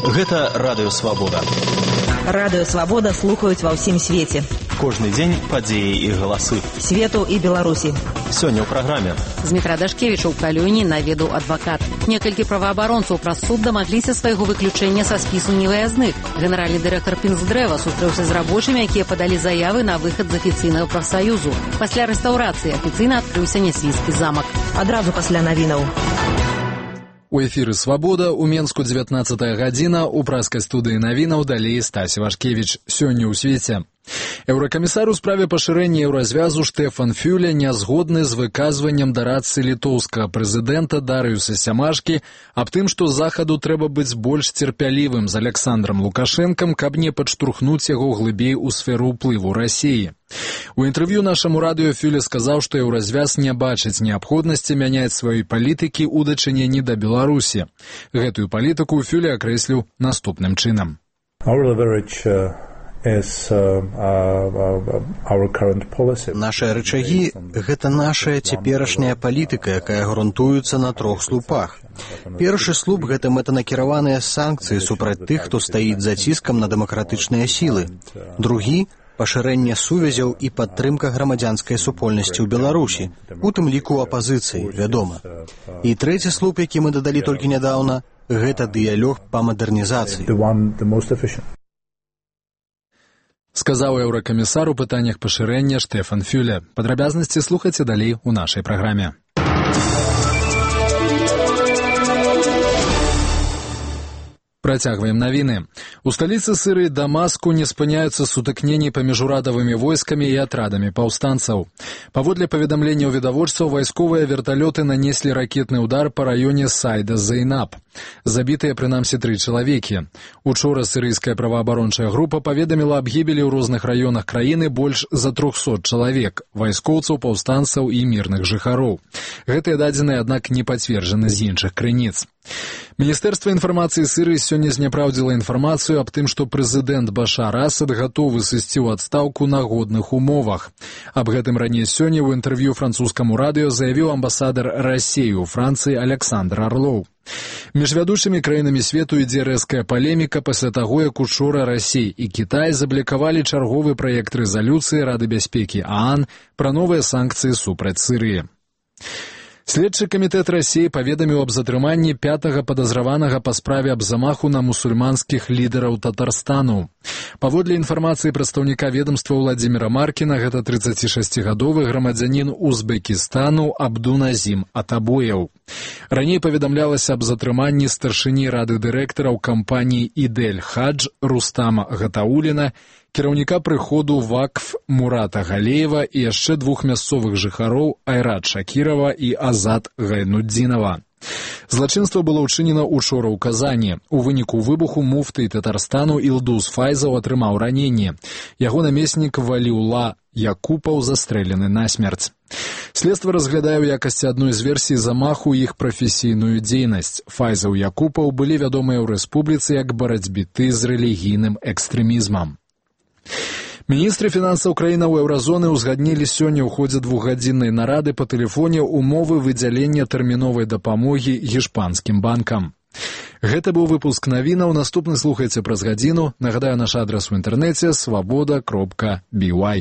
Гэта Радыё Свабода. Радыё Свабода слухаюць ва ўсім свеце. Кожны дзень падзеі і галасы. Свету і Беларусі. Сёння ў праграме. Змітра Дашкевіча ў Калюні наведаў адвакат. Некалькі праваабаронцаў праз суд дамагліся свайго выключэння са спісу невыязных. Генеральны дырэктар Пінсдрэва сустрэўся з рабочымі, якія падалі заявы на выхад з афіцыйнага прафсаюзу. Пасля рэстаўрацыі афіцыйна адкрыўся Нясвійскі замак. Адразу пасля навінаў. У эфіры «Свабода» у Менску 19 гадзіна, у праскай студыі навінаў далей Стась Вашкевіч. Сёння ў свеце. Еўракамісар у справе пашырэння еўразвязу Штэфан Фюле не згодны з выказваннем дарадцы літоўскага прэзідэнта Дарыюса Сямашкі аб тым, што захаду трэба быць больш цярпялівым з Александром Лукашэнкам, каб не падштурхнуць яго глыбей у сферу ўплыву Расіі. У інтэрв'ю нашаму радыё Фюле сказаў, што еўразвяз не бачыць неабходнасці мяняць сваёй палітыкі ў дачыненні да Беларусі. Гэтую палітыку Фюле акрэсліў наступным чынам. Нашыя рычагі – гэта нашая цяперашняя палітыка, якая грунтуецца на 3 слупах. Першы слуп – гэта мэтанакіраваныя санкцыі супраць тых, хто стаіць за ціскам на дэмакратычныя сілы. Другі – пашырэнне сувязяў і падтрымка грамадзянскай супольнасці ў Беларусі, у тым ліку апазіцыі, вядома. І трэці слуп, які мы дадалі толькі нядаўна – гэта дыялог па мадэрнізацыі. Сказаў еўракамісар у пытаннях пашырэння Штэфан Фюле. Падрабязнасці слухайце далей у нашай праграме. Працягваем навіны. У сталіцы Сірыі Дамаску не спыняюцца сутыкненні паміж урадавымі войскамі і атрадамі паўстанцаў. Паводле паведамленняў відавочцаў, вайсковыя верталёты нанеслі ракетны ўдар па раёне Сайда-Зейнаб. Забітыя прынамсі 3 чалавекі. Учора сірыйская праваабарончая група паведаміла аб гібелі ў розных раёнах краіны больш за 300 чалавек, вайскоўцаў, паўстанцаў і мірных жыхароў. Гэтыя дадзеныя, аднак, не пацверджаны з іншых крыніц. Міністэрства інфармацыі Сірыі сёння зняпраўдзіла інфармацыю аб тым, што прэзідэнт Башар Асад гатовы сысці ў адстаўку на годных умовах. Аб гэтым раней сёння ў інтэрв'ю французскаму радыё заявіў амбасадар Расіі ў Францыі Александр Арлоў. Між вядучымі краінамі свету ідзе рэзкая палеміка пасля таго, як учора Расія і Кітай заблікавалі чарговы праект рэзалюцыі Рады бяспекі ААН пра новыя санкцыі супраць Сірыі. Следчы камітэт Расіі паведаміў аб затрыманні 5-га падазраванага па справе аб замаху на мусульманскіх лідараў Татарстану. Паводле інфармацыі прадстаўніка ведамства Владзіміра Маркіна, гэта 36-гадовы грамадзянін Узбекістану Абдуназім Атабояў. Раней паведамлялася аб затрыманні старшыні рады дырэктараў кампаніі «Ідель Хадж» Рустама Гатауліна, кіраўніка прыходу Вакф Мурата Галеева і яшчэ 2 мясцовых жыхароў Айрат Шакірава і Азат Гайнудзінава. Злачынства было ўчынена учора ў Казані. У выніку выбуху муфты Татарстану Ілдус Файзаў атрымаў раненне. Яго намеснік Валіула Якупаў застрэлены насмерць. Следства разглядае ў якасці адной з версій замаху іх прафесійную дзейнасць. Файзаў і Якупаў былі вядомыя ў рэспубліцы як барацьбіты з рэлігійным экстрэмізмам. Міністры фінансаў краінаў еўразоны ўзгаднілі сёння ў ходзе 2-гадзіннай нарады па тэлефоне умовы выдзялення тэрміновай дапамогі гішпанскім банкам. Гэта быў выпуск навінаў. Наступны слухайце праз гадзіну. Нагадаю, наш адрас у інтэрнэце свабода.by.